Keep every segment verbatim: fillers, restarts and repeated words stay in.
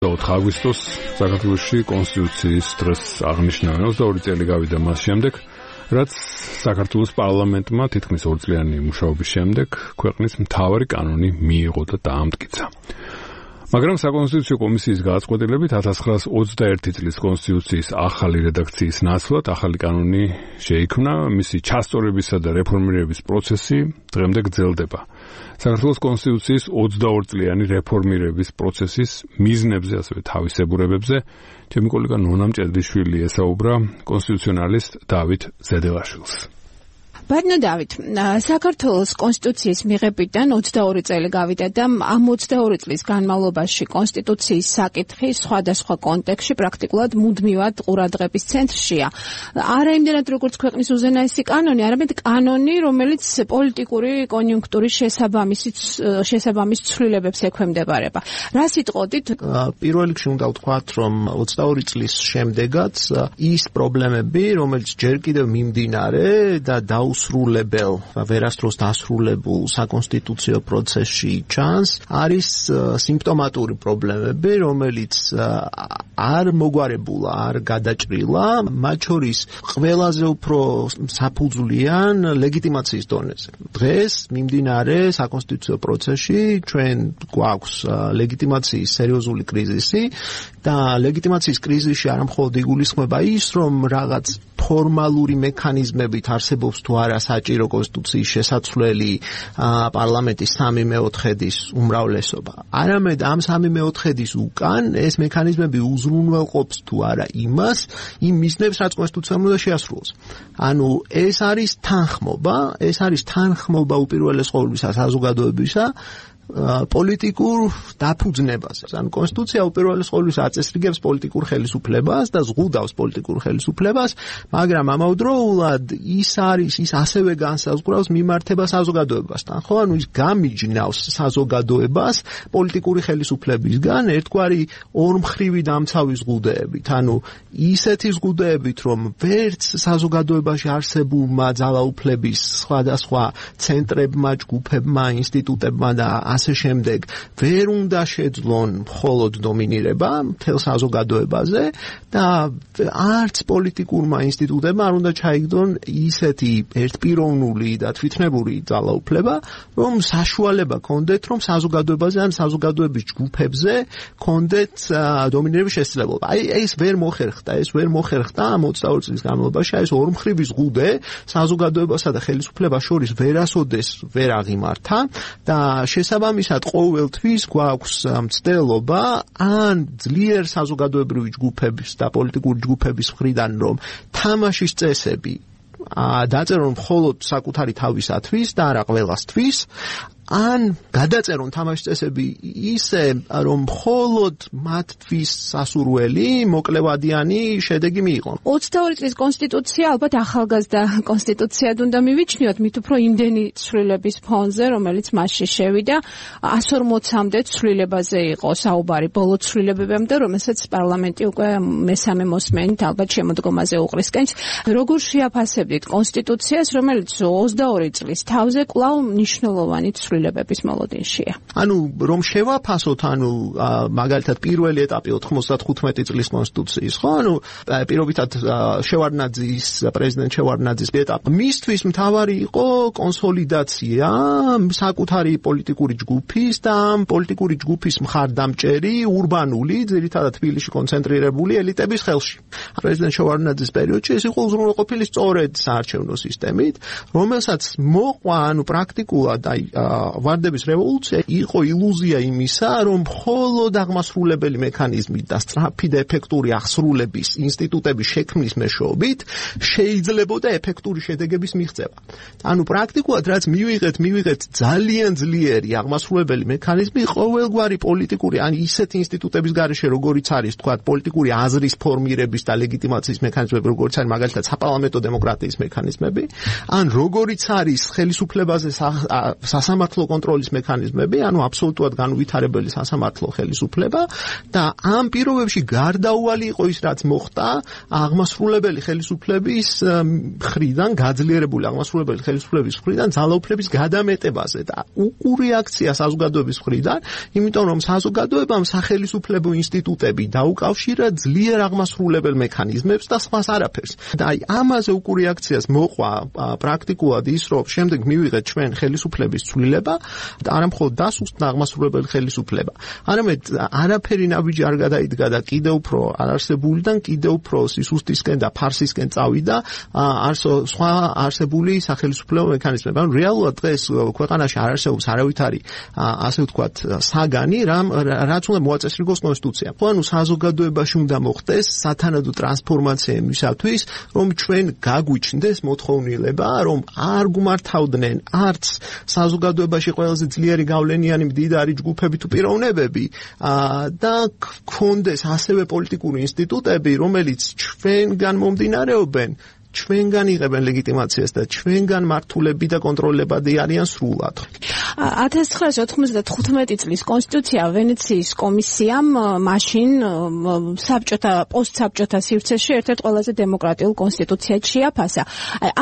ოთხი აგვისტოს საქართველოში კონსტიტუციის დღეს აღნიშნავენ ოცდაორი წელი გავიდა მას შემდეგ, რაც საქართველოს პარლამენტმა თითქმის ორწლიანი მუშაობის შემდეგ ქვეყნის მთავარი კანონი მიიღო და დაამტკიცა. მაგრამ საკონსტიტუციო კომისიის გადაწყვეტილებით ათას ცხრაას ოცდაერთი წლის კონსტიტუციის ახალი რედაქციის ნაცვლად ახალი კანონი შეიქმნა, მისი ჩასწორებისა და რეფორმირების პროცესი დღემდე გრძელდება. საქართველოს კონსტიტუციის ოცდაორი წლიანი რეფორმირების პროცესის მიზნებზე, ასევე თავისებურებებზე ჩემი კოლეგა ნონა მჭედლიშვილი ესაუბრა კონსტიტუციონალისტ დავით ზედელაშვილს. ბატონო დავით, საქართველოს კონსტიტუციის მიღებიდან ოცდაორი წელი გავიდა და ამ ოცდაორი წლის განმავლობაში კონსტიტუციის საკითხი სხვადასხვა კონტექსტში პრაქტიკულად მუდმივად ყურადღების ცენტრშია. არა იმდენად როგორც ქვეყნის უზენაესი კანონი, არამედ კანონი, რომელიც პოლიტიკური კონიუნქტურის შესაბამის ცვლილებებს ექვემდებარება. რა სიტყოდით? პირველ რიგში უნდა ვთქვათ, რომ ოცდაორი წლის შემდეგაც ის პრობლემები, რომელიც ჯერ კიდევ მიმდინარე და დაუს სრულებელ, ვერასდროს დასრულებულ საკონსტიტუციო პროცესში ჩანს, არის სიმპტომატური პრობლემები, რომელიც არ მოგვარებულა, არ გადაჭრილა, მათ შორის ყველაზე უფრო საფუძვლიან ლეგიტიმაციის დონეზე. დღეს მიმდინარე საკონსტიტუციო პროცესში ჩვენ გვაქვს ლეგიტიმაციის სერიოზული კრიზისი და ლეგიტიმაციის კრიზისში არა მხოლოდ იგულისხმება ის, რომ რაღაც ფორმალური მექანიზმებით არსებობს თუ არა საჭირო კონსტიტუციის შესაცვლელი პარლამენტის სამი მეოთხედის უმრავლესობა. არამედ ამ სამი მეოთხედის უკან ეს მექანიზმები უზრუნველყოფს თუ არა იმას, იმ მიზნებს, რაც კონსტიტუციამ უნდა შეასრულოს. ანუ ეს არის თანხმობა, ეს არის თანხმობა უპირველეს ყოვლისა საზოგადოებისა პოლიტიკურ დაფუძნებაზე. ანუ კონსტიტუცია უპირველეს ყოვლისა აწესრიგებს პოლიტიკურ ხელისუფლებას და ზღუდავს პოლიტიკურ ხელისუფლებას, მაგრამ ამავდროულად ის არის, ის ასევე განსაზღვრავს მიმართება საზოგადოებასთან. ხო, ანუ ის გამიჯნავს საზოგადოებას პოლიტიკური ხელისუფლებისგან ერთგვარი ორმხრივი დამცავი ზღუდეებით. ანუ ისეთი ზღუდეებით, რომ ვერც საზოგადოებაში არსებულმა ძალაუფლების სხვადასხვა ცენტრებმა, ჯგუფებმა, ინსტიტუტებმა და ასე შემდეგ ვერ უნდა შეძლონ მხოლოდ დომინირება მთელ საზოგადოებაზე და არც პოლიტიკურმა ინსტიტუტებმა არ უნდა ჩაიგდონ ისეთი ერთპიროვნული და თვითნებური ძალაუფლება, რომ საშუალება კონდეთ, რომ საზოგადოებაზე ან საზოგადოების ჯგუფებზე კონდეთ დომინირების შესაძლებლობა. აი ეს ვერ მოხერხდა, ეს ვერ მოხერხდა ამ ოცდაორი წლის განმავლობაში, ეს ორმხრივი ზღუდე საზოგადოებასა და ხელისუფლებას შორის ვერასოდეს ვერ აღიმართა და შესაბამისად ამისად ყოველთვის გვაქვს მცდელობა ან ძლიერ საზოგადოებრივი ჯგუფების და პოლიტიკური ჯგუფების მხრიდან, რომ თამაშის წესები დაწერონ მხოლოდ საკუთარი თავისათვის და არა ყველასთვის, ან გადაწერონ თამაშის წესები ისე, რომ მხოლოდ მათთვის სასურველი, მოკლევადიანი შედეგი მიიღონ. ოცდაორი წლის კონსტიტუცია ალბათ ახალგაზრდა კონსტიტუციად უნდა მივიჩნიოთ, მით უფრო იმდენი ცვლილების ფონზე, რომელიც მასში შევიდა, εκατს ორმოცამდე ცვლილებაზე იყო საუბარი ბოლო ცვლილებებამდე, რომელსაც პარლამენტი უკვე მესამე მოსმენით ალბათ შემოდგომაზე უყრისკენს. როგორ შეაფასებდით კონსტიტუციას, რომელიც ოცდაორი წლის თავზე კვლავ მნიშვნელოვანი ცვლილებების მოლოდინშია? ანუ რომ შევაფასოთ, ანუ მაგალითად პირველი ეტაპი ოთხმოცდათხუთმეტი წლის კონსტიტუციის, ხო? ანუ პირობითად შევარდნაძის, პრეზიდენტ შევარდნაძის ეტაპი. მისთვის მთავარი იყო კონსოლიდაცია საკუთარი პოლიტიკური ჯგუფის და ამ პოლიტიკური ჯგუფის მხარდამჭერი ურბანული, ძირითადად თბილისში კონცენტრირებული ელიტების ხელში. პრეზიდენტ შევარდნაძის პერიოდში ეს იყო უზრუნველყოფილი სწორედ საარჩევნო სისტემით, რომელსაც მოყვა, ანუ პრაქტიკულად აი ვარდების რევოლუცია იყო ილუზია იმისა, რომ მხოლოდ აღმასრულებელი მექანიზმით და სწრაფი და ეფექტური აღსრულების ინსტიტუტების შექმნის მეშვეობით შეიძლებოდა ეფექტური შედეგების მიღწევა. ანუ პრაქტიკულად რაც მივიღეთ, მივიღეთ ძალიან ძლიერი აღმასრულებელი მექანიზმი ყოველგვარი პოლიტიკური, ან ისეთი ინსტიტუტების გარეშე, როგორიც არის, თქვათ, პოლიტიკური აზრის ფორმირების და ლეგიტიმაციის მექანიზმები, როგორიც არის მაგალითად საპარლამენტო დემოკრატიის მექანიზმები, ან როგორიც არის ხელისუფლებაზე სასამართლო სასამართლო კონტროლის მექანიზმები, ანუ აბსოლუტურად განუვითარებელი სასამართლო ხელისუფლება და ამ პირობებში გარდაუვალი იყო ის, რაც მოხდა აღმასრულებელი ხელისუფლების მხრიდან, გაძლიერებული აღმასრულებელი ხელისუფლების მხრიდან ძალაუფლების გადამეტებაზე და უყურეაქცია საზოგადოების მხრიდან, იმიტომ რომ საზოგადოებამ სახელისუფლებო ინსტიტუტები დაუკავშირა ძლიერ აღმასრულებელ მექანიზმებს და სხვას არაფერს. და აი ამაზე უყურეაქციას მოყვა პრაქტიკულად ის, რომ შემდეგ მივიღეთ ჩვენ ხელისუფლების ცვლილება და არა მხოლოდ დასუსტდა აღმასრულებელი ხელისუფლება, არამედ არაფერი ნაბიჯი არ გადაიდგა და კიდევ უფრო არარსებულიდან კიდევ უფრო სისუსტისკენ და ფარსისკენ წავიდა სხვა არსებული სახელისუფლებო მექანიზმები. ანუ რეალურად დღეს ქვეყანაში არ არსებობს არავითარი ასე ვთქვათ საგანი, რაც უნდა მოაწესრიგოს კონსტიტუციამ. ანუ საზოგადოებაში უნდა მოხდეს სათანადო ტრანსფორმაცია იმისათვის, რომ ჩვენ გაგვიჩნდეს მოთხოვნილება, რომ არ გუმართავდნენ არც საზოგადოებაში ყველაზე ძლიერი გავლენიანი მდიდარი ჯგუფები თუ პიროვნებები და გქონდეს ასევე პოლიტიკური ინსტიტუტები, რომელიც ჩვენგან მომდინარეობენ, ჩვენგან იღებენ ლეგიტიმაციას და ჩვენგან მართულები და კონტროლებადი არიან სრულად. ათას ცხრაასი ოთხმოცდათხუთმეტი წლის კონსტიტუცია ვენეციის კომისიამ მაშინ საბჭოთა პოსტსაბჭოთა სივრცეში ერთ-ერთ ყველაზე დემოკრატიულ კონსტიტუციად შეაფასა.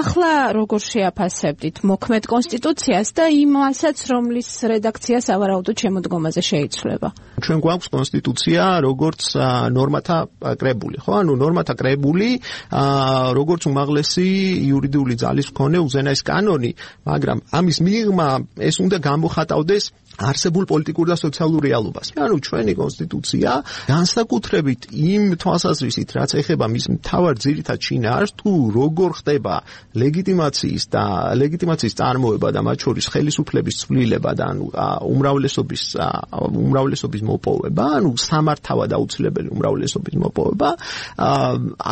ახლა როგორ შეაფასებდით მოქმედ კონსტიტუციას და იმასაც, რომლის რედაქცია სავარაუდოდ შემოდგომაზე შეიცვლება? ჩვენ გვაქვს კონსტიტუცია როგორც ნორმათა კრებული, ხო? ანუ ნორმათა კრებული, როგორც უმაღლესი იურიდიული ძალის მქონე უზენაეს კანონი, მაგრამ ამის მიღმა ეს უნდა გამოხატავდეს არსებულ პოლიტიკურ და სოციალურ რეალობას. ანუ ჩვენი კონსტიტუცია განსაკუთრებით იმ თვალსაზრისით, რაც ეხება მის მთავარ ძირითად შინაარსს, თუ როგორ ხდება ლეგიტიმაციის და ლეგიტიმაციის წარმოება და მათ შორის ხელისუფლების ცვლილება და ანუ უმრავლესობის უმრავლესობის მოპოვება, ანუ სამართავად აუცილებელი უმრავლესობის მოპოვება,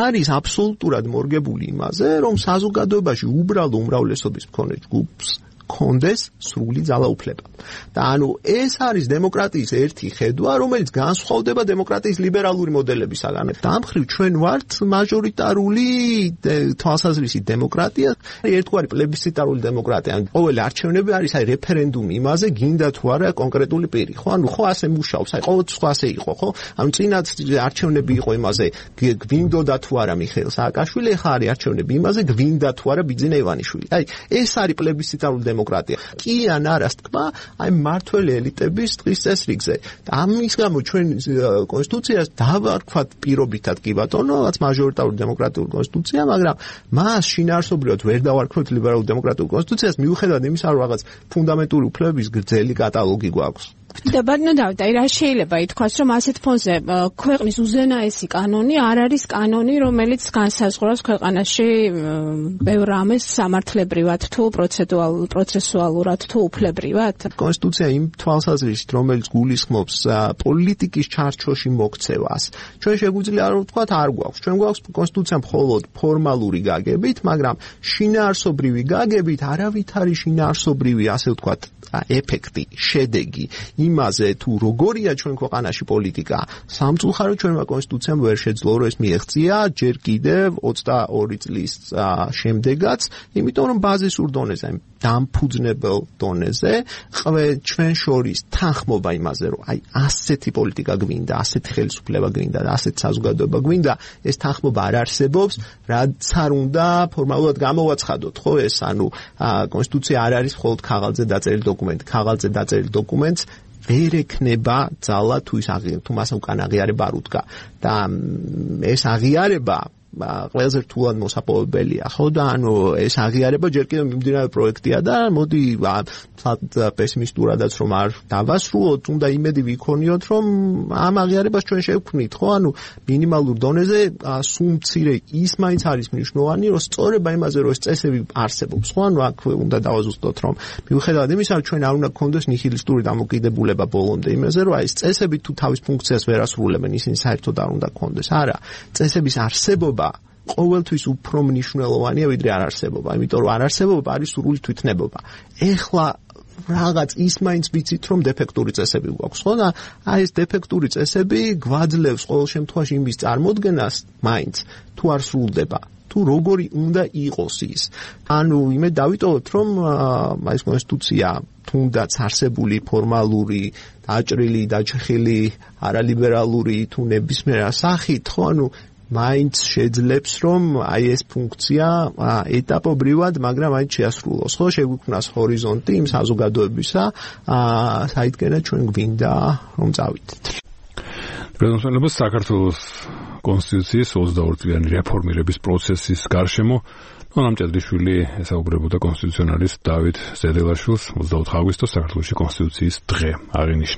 არის აბსოლუტურად მორგებული იმაზე, რომ საზოგადოებაში უბრალო უმრავლესობის მქონე ჯგუფს კონდეს სრული ძალაუფლება. და ანუ ეს არის დემოკრატიის ერთი ხედვა, რომელიც განსხვავდება დემოკრატიის ლიბერალური მოდელებისაგან. დამხრივ ჩვენ ვართ მაჟორიტარული თვალსაზრისით დემოკრატია, ერთგვარი პლებისციტარული დემოკრატია. ანუ ყოველი არჩევნები არის აი რეფერენდუმი იმაზე, გინდა თუ არა კონკრეტული პირი, ხო? ანუ ხო ასე მუშაობს, აი ყოველ სხვა ასე იყო, ხო? ანუ წინათ არჩევნები იყო იმაზე, გვინდოდა თუ არა მიხეილ სააკაშვილი, ახლა არის არჩევნები იმაზე, გვინდა თუ არა ბიძინა ივანიშვილი. აი ეს არის პლებისციტარული დემოკრატია. კი ან არა თქვა, აი მართველი ელიტების დღის წესრიგზე. და ამის გამო ჩვენ კონსტიტუციას დავარქვათ პირობითად კი ბატონო, რაც მაჟორიტარული დემოკრატიული კონსტიტუცია, მაგრამ მას შინაარსობრივად ვერ დავარქვათ ლიბერალურ დემოკრატიულ კონსტიტუციას, მიუხედავად იმისა, რომ რაღაც ფუნდამენტური უფლებების გრძელი კატალოგი გვაქვს. და ბატონო დავით, აი რა შეიძლება ითქვას, რომ ასეთ ფონზე ქვეყნის უზენაესი კანონი არ არის კანონი, რომელიც განსაზღვრავს ქვეყანაში ბევრ რამეს სამართლებრივად თუ პროცესუალურად თუ უფლებრივად? კონსტიტუცია იმ თვალსაზრისით, რომელიც გულისხმობს პოლიტიკის ჩარჩოში მოქცევას, ჩვენ შეგვიძლია არ ვთქვათ, არ გვაქვს. ჩვენ გვაქვს კონსტიტუცია მხოლოდ ფორმალური გაგებით, მაგრამ შინაარსობრივი გაგებით არავითარი შინაარსობრივი, ასე ვთქვათ, ეფექტი, შედეგი იმაზე თუ როგორია ჩვენ ქვეყანაში პოლიტიკა, სამწუხაროდ ჩვენმა კონსტიტუციამ ვერ შეძლო რომ ეს მიეღწია ჯერ კიდევ ოცდაორი წლის შემდეგაც, იმიტომ რომ ბაზისურ დონეზე, დამფუძნებელ დონეზე ჩვენ შორის თანხმობა იმაზე, რომ აი ასეთი პოლიტიკა გვინდა, ასეთი ხელისუფლება გვინდა და ასეთი საზოგადოება გვინდა, ეს თანხმობა არ არსებობს, რაც არ უნდა ფორმალურად გამოვაცხადოთ, ხო ეს, ანუ კონსტიტუცია არ არის მხოლოდ ქაღალდზე დაწერილი დოკუმენტი, ქაღალდზე დაწერილი დოკუმენტს ვერ ექნება ძალა თუ ის აღიარება, თუ მას უკან აღიარება არ უდგა. და ეს აღიარება ყველაზე რთულად მოსაპოვებელია, ხო და ანუ ეს აღიარება ჯერ კიდევ მიმდინარე პროექტია და მოდი პესიმისტურადაც რომ არ დავასრულოთ, უნდა იმედი ვიქონიოთ, რომ ამ აღიარებას ჩვენ შევქმნით, ხო, ანუ მინიმალურ დონეზე სულ მცირე ის მაინც არის მნიშვნელოვანი, რომ სწორება იმაზე, რომ ეს წესები არსებობს, ხო, ანუ აქ უნდა დავაზუსტოთ, რომ მიუხედავად იმისა, რომ ჩვენ არ უნდა გქონდეს ნიჰილისტური დამოკიდებულება ბოლომდე იმაზე, რომ აი ეს წესები თუ თავის ფუნქციას ვერ ასრულებენ, ისინი საერთოდ არ უნდა გქონდეს. არა, წესების არსებობა ყოველთვის უფრო მნიშვნელოვანია ვიდრე არარსებობა, იმიტომ რომ არარსებობა არის სრული თვითნებობა. ეხლა რაღაც ის მაინც ვიცით, რომ დეფექტური წესები გვაქვს, ხო და აი ეს დეფექტური წესები გვაძლევს ყოველ შემთხვევაში იმის წარმოქმნას მაინც თუ არ სრულდება თუ როგორი უნდა იყოს ის. ანუ იმე დავიტოვოთ, რომ ეს კონსტიტუცია თუნდაც არსებული ფორმალური, დაჭრილი, დაჭრილი, არალიბერალური თუ ნებისმიერ სახით, ხო, ანუ მაინც შეძლებს რომ აი ეს ფუნქცია ეტაპობრივად, მაგრამ აი შეასრულოს, ხო, შეგვიქმნას ჰორიზონტი იმ საზოგადოებისა, საიდანაც ჩვენ გვინდა რომ წავიდეთ. პრეზიდენტის საქართველოს კონსტიტუციის ოცდაორი წლიანი რეფორმირების პროცესის გარშემო ნონა მჭედლიშვილი ესაუბრებოდა კონსტიტუციონალისტ დავით ზედელაშვილს ოცდაოთხი აგვისტოს საქართველოს კონსტიტუციის დღე აღინიშნეს.